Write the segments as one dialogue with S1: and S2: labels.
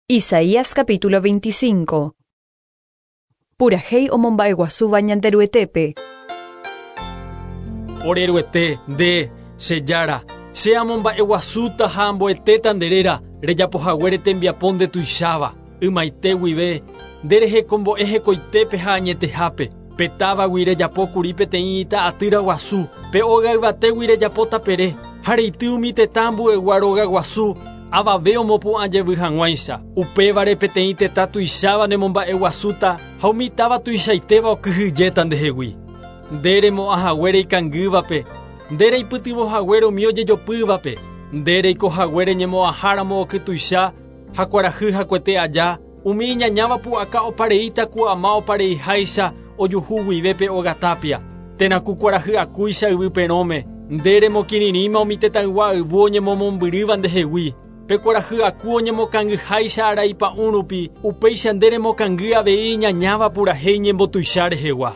S1: Isaías capítulo 25. Purahéi omomba'eguasúva Ñanderuetépe.
S2: Ore Ruete, nde, che Jára, che amomba'eguasúta ha amboetéta nde réra, rejapohaguére tembiapo ndetuicháva. Ymaite guive, nde rehekombo'e hekoitépe ha añetehápe. Pe távagui rejapókuri peteĩ ita atýra guasu, pe óga yvatégui rejapo tapere, ha reity umi tetã ambuegua róga guasu, avave omopu'ã jevy hag̃uáicha. Upévare peteĩ tetã tuicháva nemomba'eguasúta ha umi táva tuichaitéva okyhyjéta ndehegui. Nde remo'ãhaguére ikangývape, nde reipytyvõhaguére umi ojejopývape, nde reikohaguére ñemo'ãháramo okytuicha ha kuarahy hakuete aja, umi iñañáva pu'aka opareíta ku ama opareiháicha ojuhu guive pe óga tápia, térã ku kuarahy akúicha yvy perõme, nde remokirirĩma umi tetãygua ayvu oñemomombyrýva ndehegui. Pe kuarahy aku oñemokangyháicha arai pa'ũ rupi, upéicha nde remokangy avei iñañáva purahéi ñembotuicha rehegua.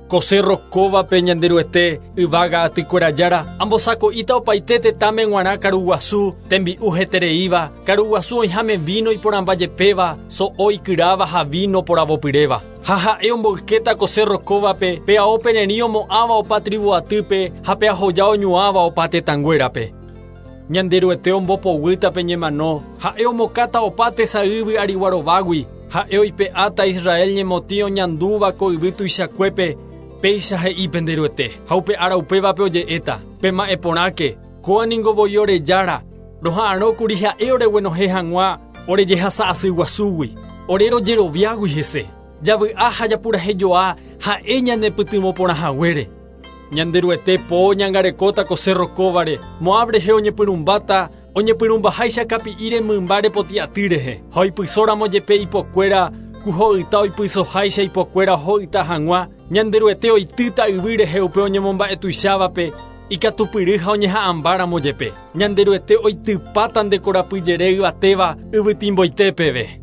S2: Ko cérro kóvape Ñanderuete, yvága atykuéra Jára, ambosako'íta opaite tetãme g̃uarã karuguasu, tembi'u hetereíva, karuguasu oĩháme víno iporãmba jepéva, so'o ikyráva ha víno poravopyréva. Ha ha'e omboykéta ko cérro kóvape pe ao pererĩ omo'ãva opa tríbu atýpe ha pe ahoja oñuãva opa tetãnguérape. Ñanderuete ombopoguýta pe ñemano, ha'e omokáta opa tesay yvy arigua rovágui, ha'e oipe'áta Israel ñemotĩ oñandúva ko yvy tuichakuépe, péicha he'i pende Ruete. Ha upe ára upévape oje'éta, Pema'ẽ porãke, kóa ningo voi ore Jára, roha'arõkuri ha'e oreguenohẽ hag̃ua ore jehasa asy guasúgui, ore rojeroviágui hese. Javy'a ha japurahejoa ha'e ñanepytyvõ porã haguére. Ñanderuete po oñangarekóta ko cérro kóvare, Moab rehe oñepyrũmbáta, oñepyrũmbaháicha kapi'íre mymba repotĩ aty rehe, ha oipysóramo jepe ipokuéra, ku ho'yta oipysoháicha ipokuéra ho'yta hag̃ua, Ñanderuete oitýta yvy rehe upe oñemomba'etuichávape, ikatupyry ha oñeha'ãmbáramo jepe. Ñanderuete oitypáta nde korapyjere yvatéva yvytimboite peve.